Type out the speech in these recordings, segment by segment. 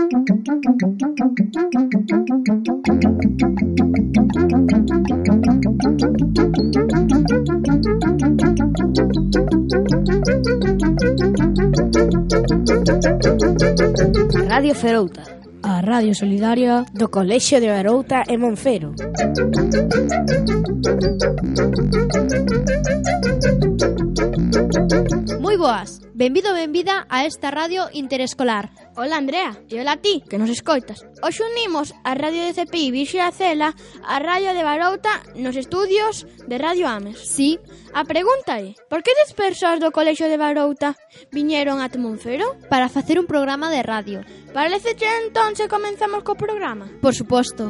Radio Ferouta, a radio solidaria do Colexio de Barouta e Monfero. Moi boas, benvido benvida a esta radio interescolar. Hola Andrea, e hola a ti, que nos escoitas. Hoxe unimos a radio de CPI Virxe da Cela a radio de Barouta nos estudios de Radio Ames. Sí. A pregunta é, por que 10 persoas do Colexio de Barouta viñeron a Monfero? Para facer un programa de radio. Parece que entón se comenzamos co programa? Por suposto.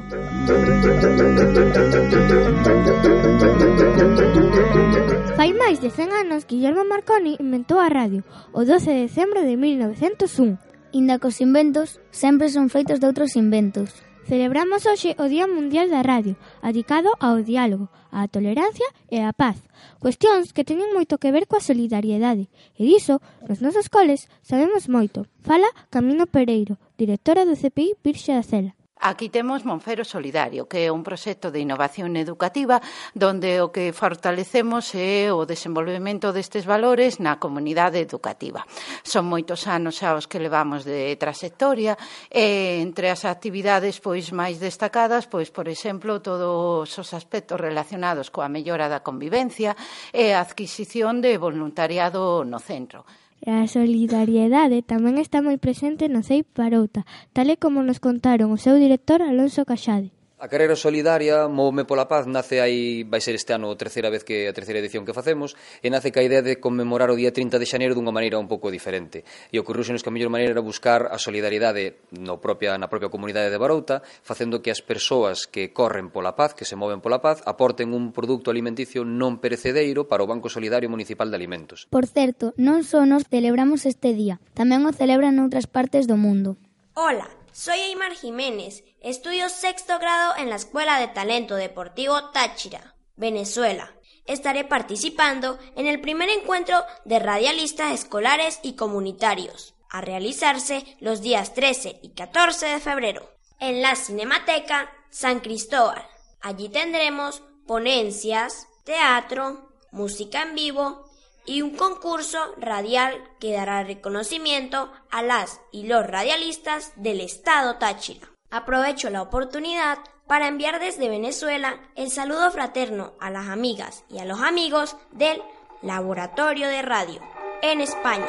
Fai máis de 100 anos, Guillermo Marconi inventou a radio, o 12 de decembro de 1901. Inda cos inventos sempre son feitos de outros inventos. Celebramos hoxe o Día Mundial da Radio, dedicado ao diálogo, á tolerancia e á paz. Cuestións que teñen moito que ver coa solidariedade. E diso, nos nosos coles, sabemos moito. Fala Camino Pereiro, directora do CPI Virxe da Cela. Aquí temos Monfero Solidario, que é un proxecto de innovación educativa donde o que fortalecemos é o desenvolvemento destes valores na comunidade educativa. Son moitos anos xa os que levamos de trayectoria e entre as actividades máis destacadas, por exemplo, todos os aspectos relacionados coa mellora da convivencia e a adquisición de voluntariado no centro. E a solidariedade tamén está moi presente no CEIP Barouta, tal e como nos contaron o seu director Alonso Caxade. A carreira solidaria Móvome pola Paz nace aí, vai ser este ano a terceira edición que facemos, e nace ca idea de conmemorar o día 30 de xaneiro dunha maneira un pouco diferente. E ocorreusenos que a mellor maneira era buscar a solidariedade na propia comunidade de Barouta, facendo que as persoas que corren pola paz, que se moven pola paz, aporten un produto alimenticio non perecedereiro para o Banco Solidario Municipal de Alimentos. Por certo, non só nos celebramos este día, tamén o celebran noutras partes do mundo. Hola, soy Aymar Jiménez, estudio 6º grado en la Escuela de Talento Deportivo Táchira, Venezuela. Estaré participando en el primer encuentro de radialistas escolares y comunitarios, a realizarse los días 13 y 14 de febrero, en la Cinemateca San Cristóbal. Allí tendremos ponencias, teatro, música en vivo y un concurso radial que dará reconocimiento a las y los radialistas del estado Táchira. Aprovecho la oportunidad para enviar desde Venezuela el saludo fraterno a las amigas y a los amigos del Laboratorio de Radio en España.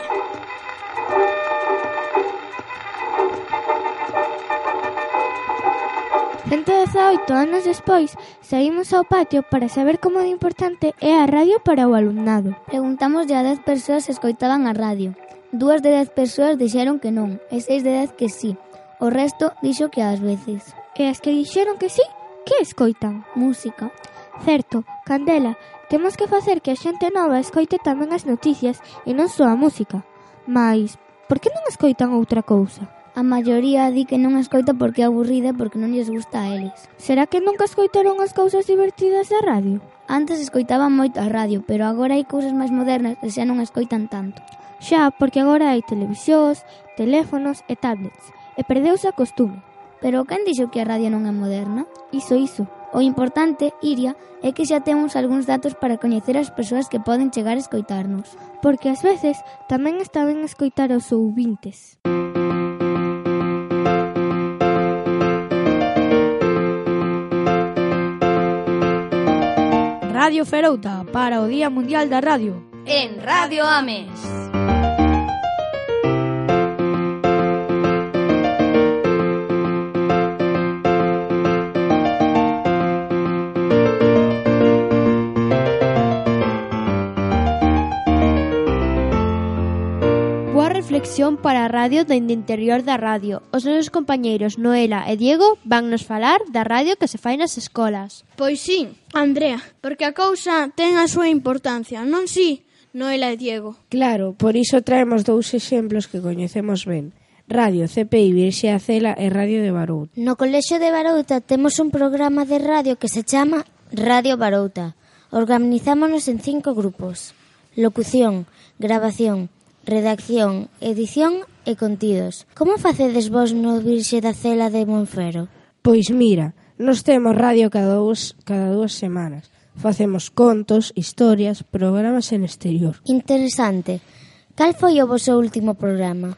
Cento 18 anos despois, saímos ao patio para saber como de importante é a radio para o alumnado. Preguntamos a 10 persoas se escoitaban a radio. 2 de 10 persoas dixeron que non, e 6 de 10 que sí. O resto dixo que ás veces. E as que dixeron que sí, que escoitan? Música. Certo, Candela, temos que facer que a xente nova escoite tamén as noticias e non só a música. Mais, por que non escoitan outra cousa? A maioría di que non escoita porque é aburrida e porque non lles gusta a eles. Será que nunca escoitaron as cousas divertidas da radio? Antes escoitaban moito a radio, pero agora hai cousas máis modernas e xa non escoitan tanto. Xa, porque agora hai televisións, teléfonos e tablets, e perdeuse a costume. Pero quen dixo que a radio non é moderna? Iso. O importante, Iria, é que xa temos algúns datos para coñecer as persoas que poden chegar a escoitarnos. Porque ás veces tamén está ben escoitar aos ouvintes. Radio Ferouta para o Día Mundial da Radio. En Radio Ames. Boa reflexión para a radio dende interior da radio. Os nosos compañeiros Noela e Diego van nos falar da radio que se fai nas escolas. Pois sí, Andrea, porque a cousa ten a súa importancia, non si, Noela e Diego? Claro, por iso traemos 2 exemplos que coñecemos ben. Radio CPI Virxe da Cela e Radio de Barouta. No Colexio de Barouta temos un programa de radio que se chama Radio Barouta. Organizámonos en 5 grupos: locución, grabación, redacción, edición e contidos. Como facedes vos no Virxe da Cela de Monfero? Pois mira, nos temos radio cada dúas semanas. Facemos contos, historias, programas en exterior. Interesante. Cal foi o vosso último programa?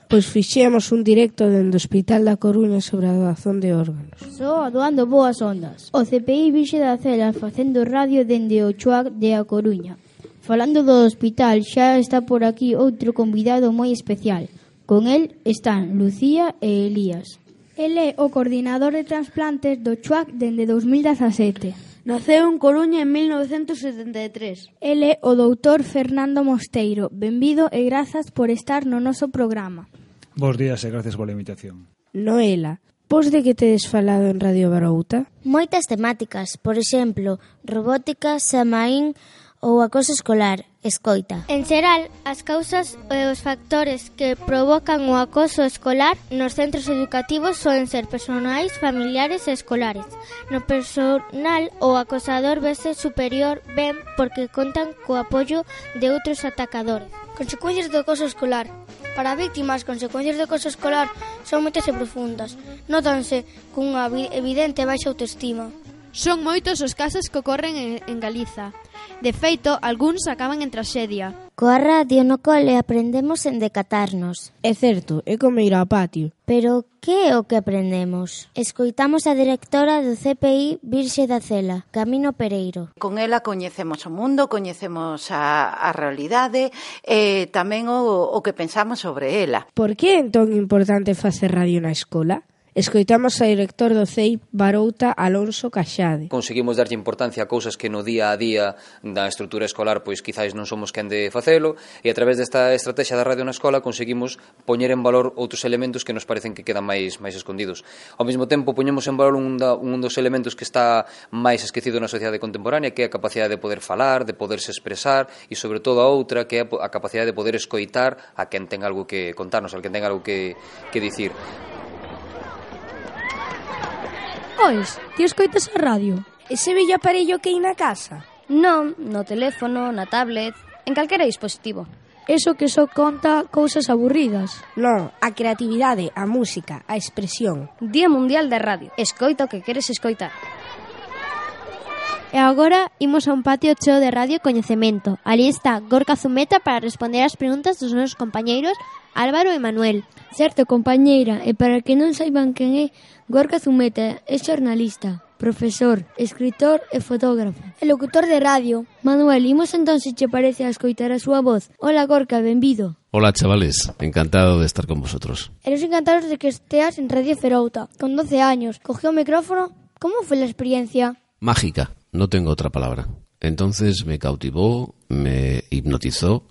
Pois fixemos un directo dende o Hospital da Coruña sobre a doazón de órganos. Só doando boas ondas. O CPI Virxe da Cela facendo radio dende o Chuac de A Coruña. Falando do hospital, xa está por aquí outro convidado moi especial. Con el están Lucía e Elías. El é o coordinador de trasplantes do Chuac dende 2017. Naceu en Coruña en 1973. El é o doutor Fernando Mosteiro. Benvido e grazas por estar no noso programa. Bos días e gracias pola invitación. Noela, vos de que tedes falado en Radio Barouta? Moitas temáticas, por exemplo, robótica, Samaín ou acoso escolar, escoita. En xeral, as causas e os factores que provocan o acoso escolar nos centros educativos soen ser personais, familiares e escolares. No personal, o acosador vese superior ben porque contan co apoio de outros atacadores. Consecuencias do acoso escolar. Para a víctima, as consecuencias do acoso escolar son moitas e profundas. Nótanse cunha evidente baixa autoestima. Son moitos os casos que ocorren en Galiza. De feito, algúns acaban en traxedia. Coa radio no cole aprendemos en decatarnos. É certo, é como ir ao patio. Pero que é o que aprendemos? Escoitamos a directora do CPI Virxe da Cela, Camino Pereiro. Con ela coñecemos o mundo, coñecemos a realidade e tamén o que pensamos sobre ela. Por que é entón importante facer radio na escola? Escoitamos ao director do CEIP Barouta, Alonso Caxade. Conseguimos darlle importancia a cousas que no día a día da estrutura escolar pois quizáis non somos quen de facelo, e a través desta estrategia da radio na escola conseguimos poñer en valor outros elementos que nos parecen que quedan máis escondidos. Ao mesmo tempo poñemos en valor un dos elementos que está máis esquecido na sociedade contemporánea, que é a capacidade de poder falar, de poderse expresar, e sobre todo a outra, que é a capacidade de poder escoitar a quen ten algo que contarnos, a quen ten algo que dicir. Ois, ti escoitas a radio? Ese vello aparello que hai na casa? Non, no teléfono, na tablet, en calquera dispositivo. Eso que só conta cousas aburridas. Non, a creatividade, a música, a expresión. Día Mundial da Radio. Escoita o que queres escoitar. E agora imos a un patio cheo de radio coñecemento. Ali está Gorka Zumeta para responder as preguntas dos nosos compañeiros Álvaro e Manuel. Certo, compañeira, e para que non saiban quen é, Gorka Zumeta é xornalista, profesor, escritor e fotógrafo. E locutor de radio. Manuel, imos entón se che parece a escoitar a súa voz. Hola, Gorka, benvido. Hola, chavales, encantado de estar con vosotros. Eres encantados de que esteas en Radio Ferouta. Con 12 años, cogió o micrófono. ¿Cómo fue la experiencia? Mágica, no tengo otra palabra. Entonces me cautivó, me hipnotizó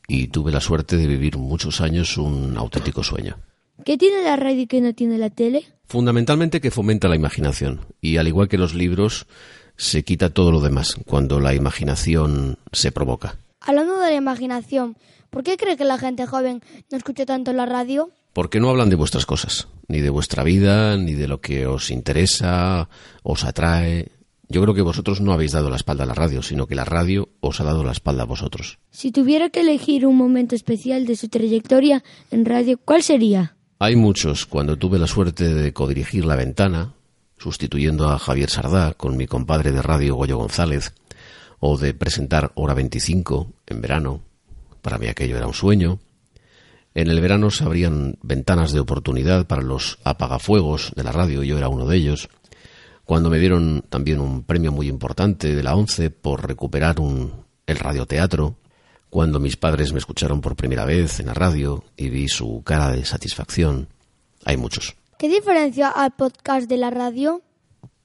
y tuve la suerte de vivir muchos años un auténtico sueño. ¿Qué tiene la radio y qué no tiene la tele? Fundamentalmente que fomenta la imaginación y al igual que los libros se quita todo lo demás cuando la imaginación se provoca. Hablando de la imaginación, ¿por qué cree que la gente joven no escucha tanto la radio? Porque no hablan de vuestras cosas, ni de vuestra vida, ni de lo que os interesa, os atrae. Yo creo que vosotros no habéis dado la espalda a la radio, sino que la radio os ha dado la espalda a vosotros. Si tuviera que elegir un momento especial de su trayectoria en radio, ¿cuál sería? Hay muchos. Cuando tuve la suerte de codirigir La Ventana, sustituyendo a Javier Sardá con mi compadre de radio Goyo González, o de presentar Hora 25 en verano, para mí aquello era un sueño. En el verano se abrían ventanas de oportunidad para los apagafuegos de la radio, yo era uno de ellos. Cuando me dieron también un premio muy importante de la ONCE por recuperar el radioteatro, cuando mis padres me escucharon por primera vez en la radio y vi su cara de satisfacción. Hay muchos. ¿Qué diferencia al podcast de la radio?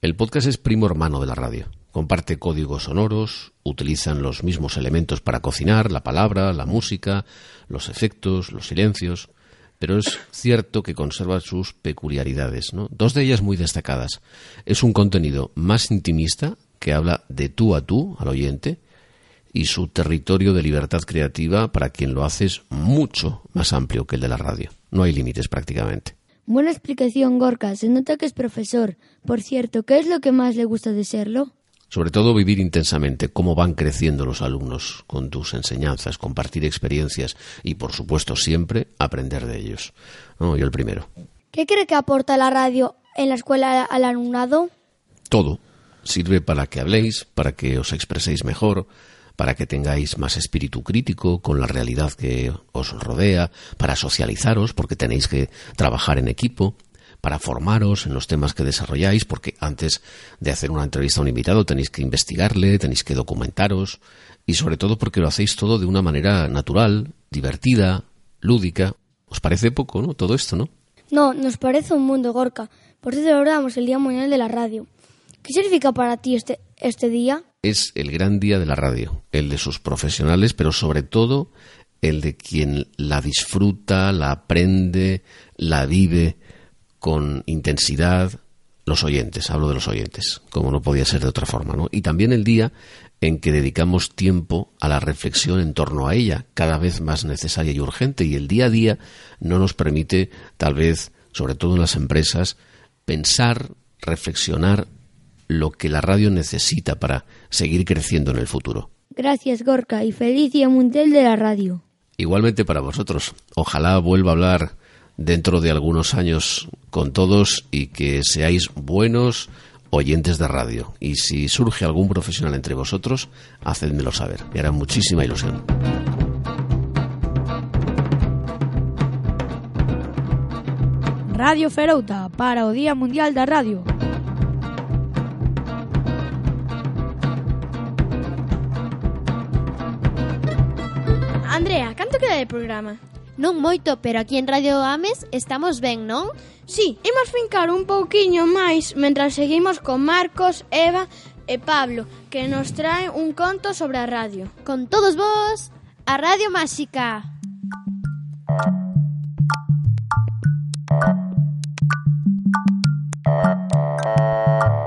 El podcast es primo hermano de la radio. Comparte códigos sonoros, utilizan los mismos elementos para cocinar, la palabra, la música, los efectos, los silencios. Pero es cierto que conserva sus peculiaridades, ¿no? Dos de ellas muy destacadas. Es un contenido más intimista, que habla de tú a tú al oyente, y su territorio de libertad creativa para quien lo hace es mucho más amplio que el de la radio. No hay límites prácticamente. Buena explicación, Gorka. Se nota que es profesor. Por cierto, ¿qué es lo que más le gusta de serlo? Sobre todo vivir intensamente cómo van creciendo los alumnos con tus enseñanzas, compartir experiencias y, por supuesto, siempre aprender de ellos. ¿No? Yo el primero. ¿Qué cree que aporta la radio en la escuela al alumnado? Todo. Sirve para que habléis, para que os expreséis mejor, para que tengáis más espíritu crítico con la realidad que os rodea, para socializaros, porque tenéis que trabajar en equipo, para formaros en los temas que desarrolláis, porque antes de hacer una entrevista a un invitado tenéis que investigarle, tenéis que documentaros, y sobre todo porque lo hacéis todo de una manera natural, divertida, lúdica. ¿Os parece poco, no? Todo esto, ¿no? No, nos parece un mundo, Gorka. Por eso celebramos el Día Mundial de la Radio. ¿Qué significa para ti este día? Es el gran día de la radio, el de sus profesionales, pero sobre todo el de quien la disfruta, la aprende, la vive con intensidad, los oyentes, hablo de los oyentes, como no podía ser de otra forma, ¿no? Y también el día en que dedicamos tiempo a la reflexión en torno a ella, cada vez más necesaria y urgente, y el día a día no nos permite, tal vez, sobre todo en las empresas, pensar, reflexionar lo que la radio necesita para seguir creciendo en el futuro. Gracias, Gorka, y feliz Día Mundial de la Radio. Igualmente para vosotros. Ojalá vuelva a hablar dentro de algunos años con todos y que seáis buenos oyentes de radio. Y si surge algún profesional entre vosotros, hacedmelo saber. Me hará muchísima ilusión. Radio Ferouta para o Día Mundial da Radio. Andrea, canto queda de programa? Non moito, pero aquí en Radio Ames estamos ben, non? Sí, imos fincar un pouquiño máis mentras seguimos con Marcos, Eva e Pablo, que nos traen un conto sobre a radio. Con todos vos, a Radio Máxica.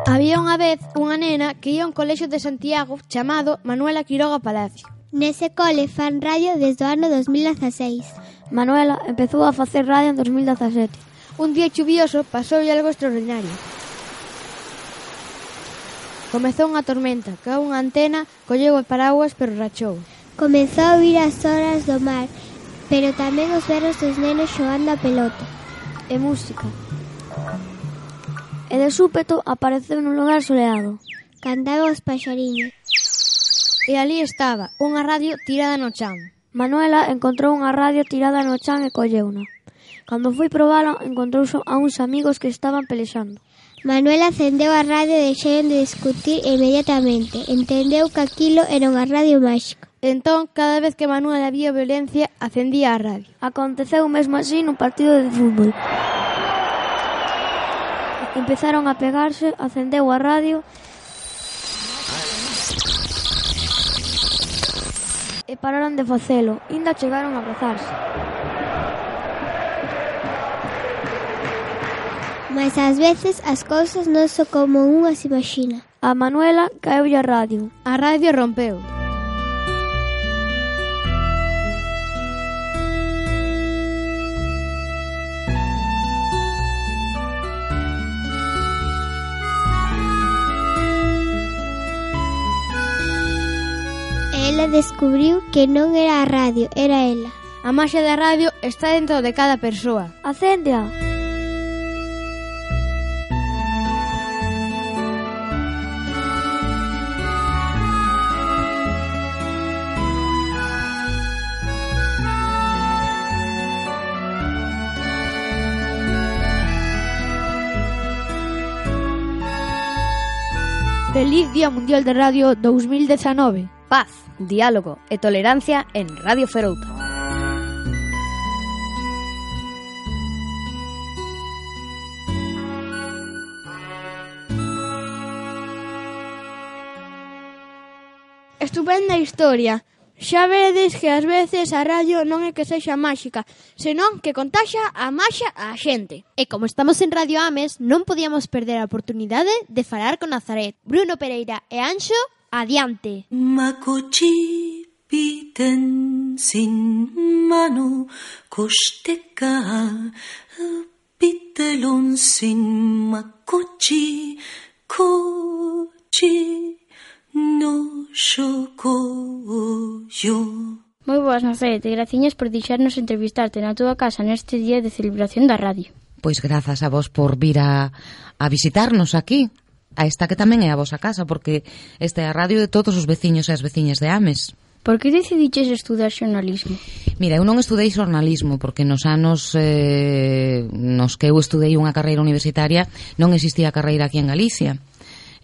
Había unha vez unha nena que ia a un colexio de Santiago chamado Manuela Quiroga Palacio. Nese cole fan radio desde o ano 2016. Manuela empezou a facer radio en 2017. Un día chuvioso pasou algo extraordinario. Comezou unha tormenta, caeu unha antena, colleu o paraguas pero rachou. Comezou a oír as horas do mar, pero tamén os berros dos nenos xogando a pelota. E música. E de súpeto apareceu nun lugar soleado. Cantaban os paxariños. E ali estaba, unha radio tirada no chan. Manuela encontrou unha radio tirada no chan e colleuna. Cando foi probala, encontrouse a uns amigos que estaban pelexando. Manuela acendeu a radio e deixaron de discutir inmediatamente. Entendeu que aquilo era unha radio máxica. Entón, cada vez que Manuela vía violencia, acendía a radio. Aconteceu mesmo así nun partido de fútbol. Empezaron a pegarse, acendeu a radio e pararon de facelo, inda chegaron a abrazarse. Mas ás veces as cousas non son como unha se imagina. A Manuela caeulle a radio. A radio rompeu. Ela descubriu que non era a radio, era ela. A maxia da radio está dentro de cada persoa. Acéndea. Feliz Día Mundial de Radio 2019. Paz, diálogo e tolerancia en Radio Ferouta. Estupenda historia. Xa vedes que ás veces a radio non é que sexa máxica, senón que contaxa a maxia á xente. E como estamos en Radio Ames, non podíamos perder a oportunidade de falar con Nazaret, Bruno Pereira e Anxo. Adiante. Makochi piten sin mano kosteka pitelon sin makochi kochi no shokoyo. Moi boas, Nazaret, e graciñas por deixarnos entrevistarte na túa casa neste día de celebración da radio. Pois grazas a vos por vir a visitarnos aquí, a esta que tamén é a vosa casa, porque esta é a radio de todos os veciños e as veciñas de Ames. Por que decidiches estudar xornalismo? Mira, eu non estudei xornalismo porque nos anos nos que eu estudei unha carreira universitaria non existía carreira aquí en Galicia.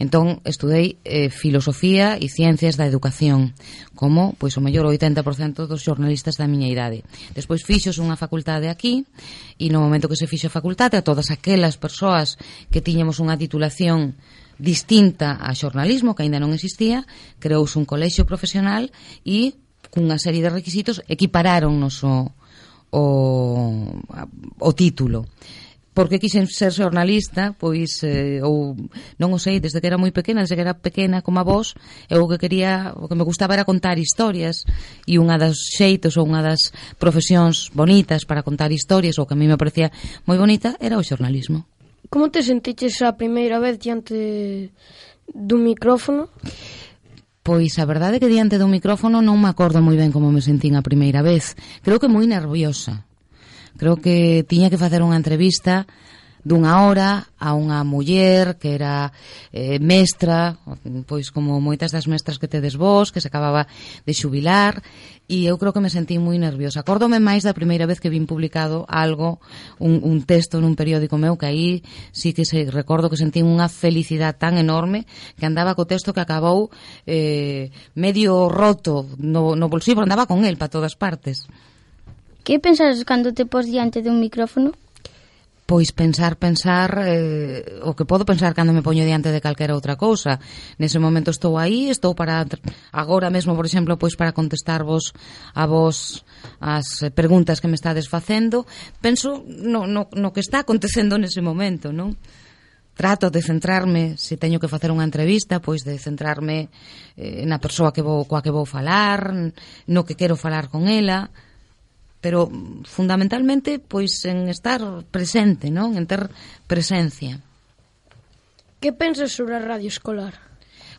Entón, estudei filosofía e ciencias da educación, como, pois, o mellor 80% dos xornalistas da miña idade. Despois fixos unha facultade aquí, e no momento que se fixo a facultade, a todas aquelas persoas que tiñamos unha titulación distinta a xornalismo, que aínda non existía, creouse un colexio profesional e, cunha serie de requisitos, equipararonnos o título. Por que quixen ser xornalista? Pois, ou non o sei, desde que era moi pequena, desde que era pequena como a vos, eu o que quería, o que me gustaba era contar historias, e unha das xeitos ou unha das profesións bonitas para contar historias, ou que a mí me parecía moi bonita, era o xornalismo. Como te sentiches a primeira vez diante dun micrófono? Pois a verdade é que diante dun micrófono non me acordo moi ben como me sentín a primeira vez. Creo que moi nerviosa. Creo que tiña que facer unha entrevista dunha hora a unha muller que era mestra, pois como moitas das mestras que tedes vos, que se acababa de xubilar, e eu creo que me sentí moi nerviosa. Acórdome máis da primeira vez que vin publicado algo, un texto nun periódico meu, que aí sí que recordo que sentí unha felicidade tan enorme que andaba co texto que acabou medio roto no bolsillo, andaba con el para todas partes. Que pensas cando te pos diante dun micrófono? Pois pensar o que podo pensar cando me poño diante de calquera outra cousa. Nese momento estou aí, estou para agora mesmo, por exemplo, pois para contestarvos a vos as preguntas que me estades facendo. Penso no que está acontecendo nese momento, non? Trato de centrarme, se teño que facer unha entrevista, pois de centrarme na persoa coa que vou falar, no que quero falar con ela, pero fundamentalmente pois en estar presente, non? En ter presencia. Que pensas sobre a radio escolar?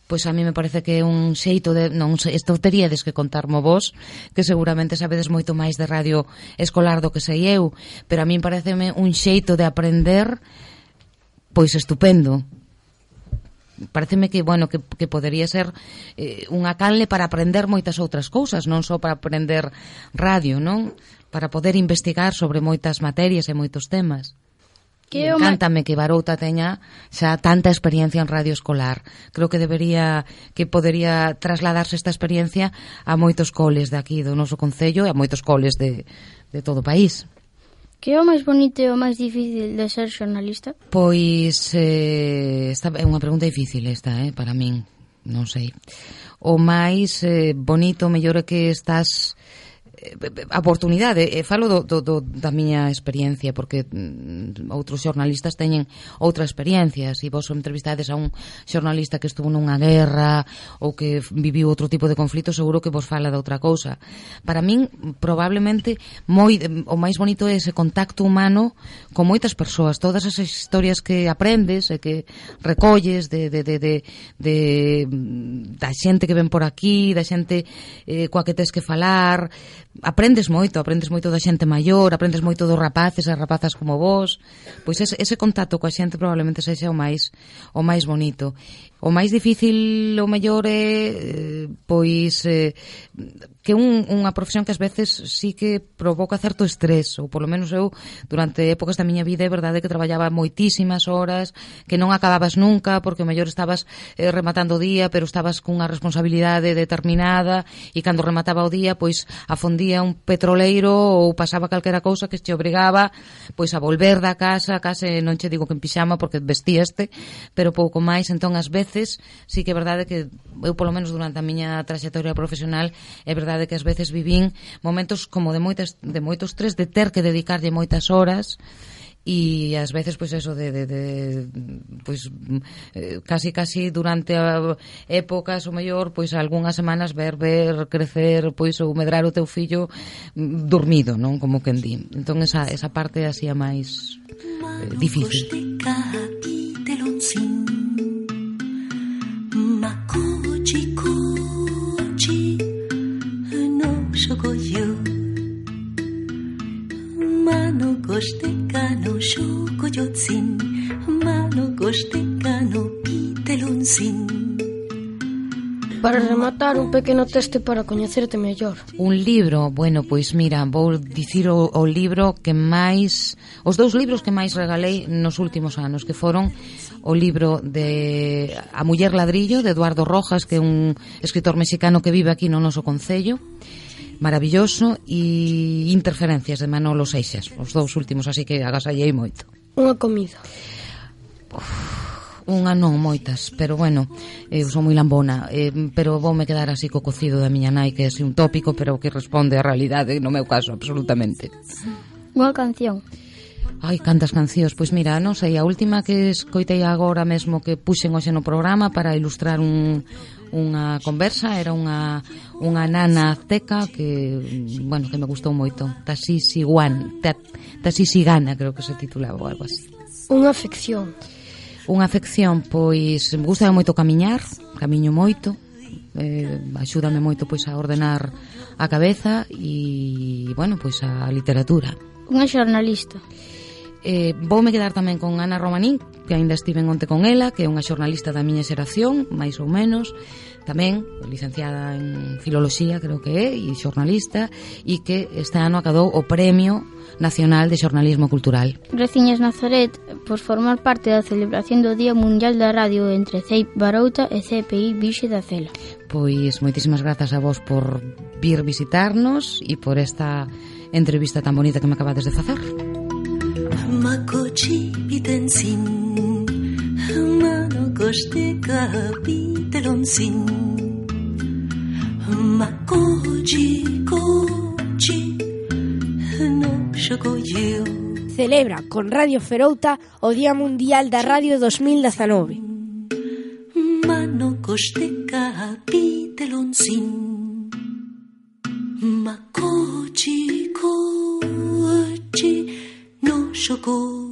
Pois a mí me parece que é un xeito de, non sei, isto teríades que contarmo vos, que seguramente sabedes moito máis de radio escolar do que sei eu, pero a mí pareceme un xeito de aprender pois estupendo. Pareceme que, bueno, que podería ser unha canle para aprender moitas outras cousas, non só para aprender radio, non? Para poder investigar sobre moitas materias e moitos temas. Encántame que Barouta teña xa tanta experiencia en radio escolar. Creo que podería trasladarse esta experiencia a moitos coles de aquí do noso concello e a moitos coles de todo o país. Que é o máis bonito e o máis difícil de ser xornalista? Pois esta é unha pregunta difícil esta, para min, non sei. O máis bonito, mellor é que estás a oportunidade, falo da miña experiencia, porque outros xornalistas teñen outra experiencia. Se vos entrevistades a un xornalista que estuvo nunha guerra ou que viviu outro tipo de conflito, seguro que vos fala de outra cousa. Para min, probablemente o máis bonito é ese contacto humano con moitas persoas, todas as historias que aprendes e que recolles da xente que ven por aquí, da xente coa que tes que falar. Aprendes moito da xente maior, aprendes moito dos rapaces e rapazas como vos. Pois ese contacto coa xente probablemente sexa o máis bonito. O máis difícil, o mellor é que unha profesión que ás veces sí que provoca certo estrés, ou polo menos eu durante épocas da miña vida é verdade que traballaba moitísimas horas, que non acababas nunca, porque o mellor estabas rematando o día, pero estabas cunha responsabilidade determinada, e cando remataba o día, pois afondía un petroleiro ou pasaba calquera cousa que te obrigaba pois a volver da casa, case non che digo que en pixama porque vestíaste, pero pouco máis. Entón ás veces sí que é verdade que eu polo menos durante a miña traxectoria profesional é verdade que ás veces vivín momentos como de moito estrés, de ter que dedicarlle moitas horas, e ás veces pois eso casi durante épocas o mellor pois algunhas semanas ver crecer pois ou medrar o teu fillo dormido, non, como quen di. Entón esa parte así a máis difícil. Makuji mano costecano pitelonsin. Para rematar, un pequeno texto para coñecerte mellor. Un libro, bueno, pois mira, vou dicir o libro que máis, os dous libros que máis regalei nos últimos anos, que foron o libro de A muller ladrillo, de Eduardo Rojas, que é un escritor mexicano que vive aquí no noso concello, maravilloso, e Interferencias, de Manolo Seixas, os dous últimos, así que agasallei moito. Unha comida. Unha non, moitas, pero bueno, eu son moi lambona, pero voume quedar así co cocido da miña nai, que é así un tópico, pero que responde á realidade, no meu caso, absolutamente. Unha canción. Ai, cantas cancións, pois mira, non sei, a última que escoitei agora mesmo que puxen hoxe no programa para ilustrar unha conversa, era unha nana azteca que, bueno, que me gustou moito, Tashisigana, creo que se titulaba ou algo así. Unha afección. Unha afección, pois me gusta moito camiñar, camiño moito, axúdame moito pois a ordenar a cabeza e, bueno, pois a literatura. Unha xornalista. Voume quedar tamén con Ana Romanín, que aínda estiven onte con ela, que é unha xornalista da miña xeración, máis ou menos, tamén licenciada en Filoloxía, creo que é, e xornalista, e que este ano acadou o Premio Nacional de Xornalismo Cultural. Graciñas Nazaret por formar parte da celebración do Día Mundial da Radio entre CEIP Barouta e CPI Vixe da Cela. Pois moitísimas grazas a vos por vir visitarnos e por esta entrevista tan bonita que me acabades de facer. Makochi pitensin, mano kosteka pitelonsin, makochi kochi no xogolleo. Celebra con Radio Ferouta o Día Mundial da Radio 2019. Mano kosteka pitelonsin, makochi kochi no xogolleo.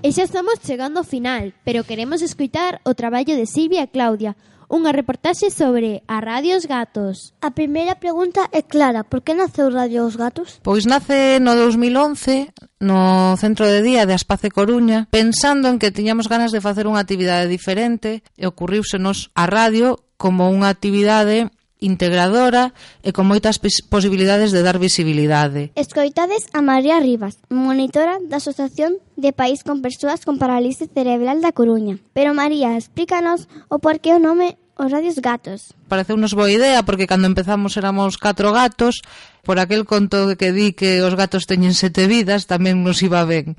E xa estamos chegando ao final, pero queremos escoitar o traballo de Silvia e Claudia, unha reportaxe sobre a Radio Os Gatos. A primeira pregunta é clara, por que naceu Radio Os Gatos? Pois nace no 2011 no Centro de Día de Aspace Coruña, pensando en que tiñamos ganas de facer unha actividade diferente e ocurriúsenos a radio como unha actividade integradora e con moitas posibilidades de dar visibilidade. Escoitades a María Rivas, monitora da Asociación de País con Persoas con Parálise Cerebral da Coruña. Pero María, explícanos o porqué o nome Os Radios Gatos. Pareceunos boa idea porque cando empezamos éramos 4 gatos, por aquel conto que di que os gatos teñen 7 vidas tamén nos iba ben.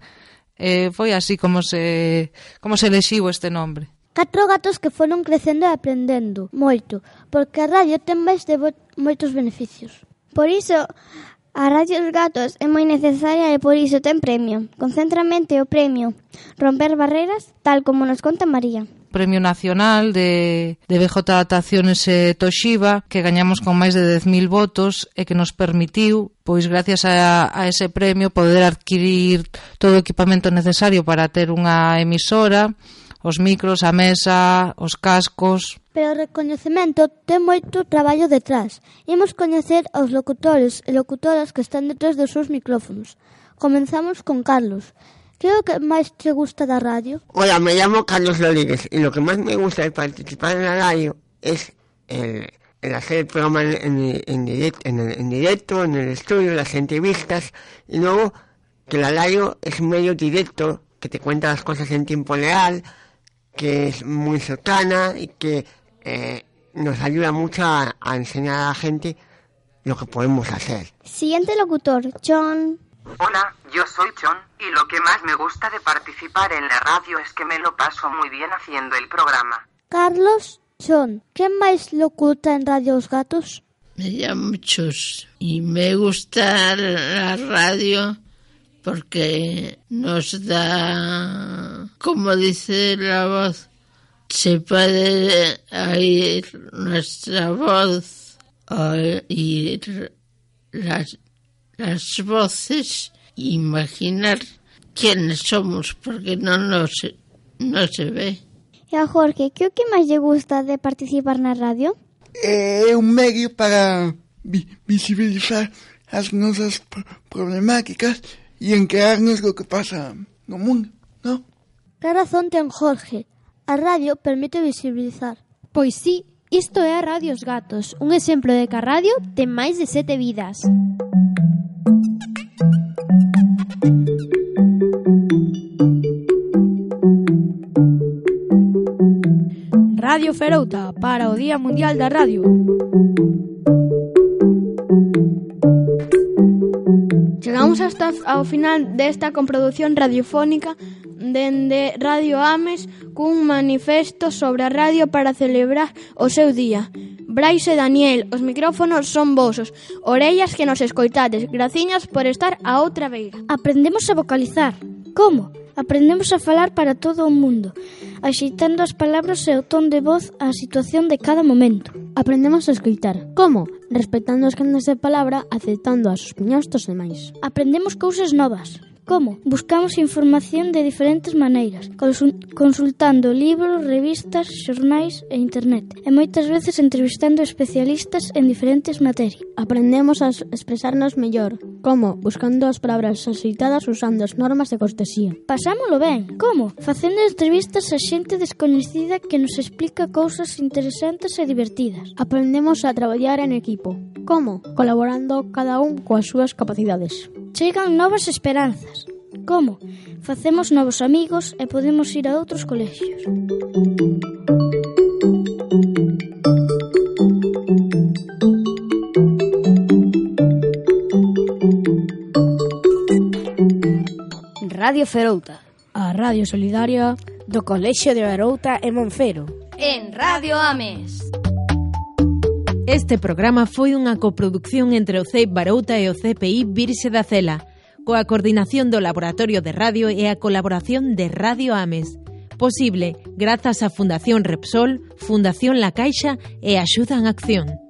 Foi así como se elixiu este nombre. 4 gatos que foron crecendo e aprendendo moito, porque a radio ten máis de moitos beneficios. Por iso, a Radio Os Gatos é moi necesaria e por iso ten premio. Concentramento o premio Romper Barreras, tal como nos conta María. Premio Nacional de BJ Adaptaciones Toshiba, que gañamos con máis de 10.000 votos e que nos permitiu, pois gracias a ese premio, poder adquirir todo o equipamento necesario para ter unha emisora, os micros, a mesa, os cascos. Pero o recoñecemento ten moito traballo detrás. Imos coñecer aos locutores e locutoras que están detrás dos seus micrófonos. Comenzamos con Carlos. ¿Qué es lo que más te gusta de la radio? Hola, me llamo Carlos Rodríguez y lo que más me gusta de participar en la radio es el hacer el programa en directo, en el estudio, las entrevistas, y luego que la radio es un medio directo que te cuenta las cosas en tiempo real, que es muy cercana y que nos ayuda mucho a enseñar a la gente lo que podemos hacer. Siguiente locutor, John. Hola, yo soy John y lo que más me gusta de participar en la radio es que me lo paso muy bien haciendo el programa. Carlos, John, ¿qué más locuta en Radio Os Gatos? Me llamo Chus y me gusta la radio porque nos da, como dice la voz, se puede oír nuestra voz, oír las voces, imaginar quiénes somos, porque no se ve. E a Jorge, que o que máis lle gusta de participar na radio? É un medio para visibilizar as nosas problemáticas e enterarnos do que pasa no mundo, ¿no? Que razón ten Jorge? A radio permite visibilizar. Pois sí, isto é a Radio Os Gatos, un exemplo de que a radio ten máis de 7 vidas. Radio Ferouta para o Día Mundial da Radio. Chegamos hasta ao final desta comprodución radiofónica dende Radio Ames cun manifesto sobre a radio para celebrar o seu día. Brais e Daniel, os micrófonos son vosos, orellas que nos escoitades. Graciñas por estar a outra beira. Aprendemos a vocalizar. Como? Aprendemos a falar para todo o mundo, axeitando as palabras e o ton de voz á situación de cada momento. Aprendemos a escoitar. Como? Respetando os canales de palabra, aceptando as opinións dos demais. Aprendemos cousas novas. Como? Buscamos información de diferentes maneiras, consultando libros, revistas, xornais e internet, e moitas veces entrevistando especialistas en diferentes materias. Aprendemos a expresarnos mellor. Como? Buscando as palabras axeitadas usando as normas de cortesía. Pasámolo ben. Como? Facendo entrevistas a xente descoñecida que nos explica cousas interesantes e divertidas. Aprendemos a traballar en equipo. Como? Colaborando cada un coas súas capacidades. Chegan novas esperanzas. Como? Facemos novos amigos e podemos ir a outros colexios. Radio Ferouta, a radio solidaria do Colexio de Barouta e Monfero. En Radio Ames. Este programa foi unha coproducción entre o CEIP Barouta e o CPI Virxe da Cela, coa coordinación do Laboratorio de Radio e a colaboración de Radio Ames. Posible grazas á Fundación Repsol, Fundación La Caixa e Axuda en Acción.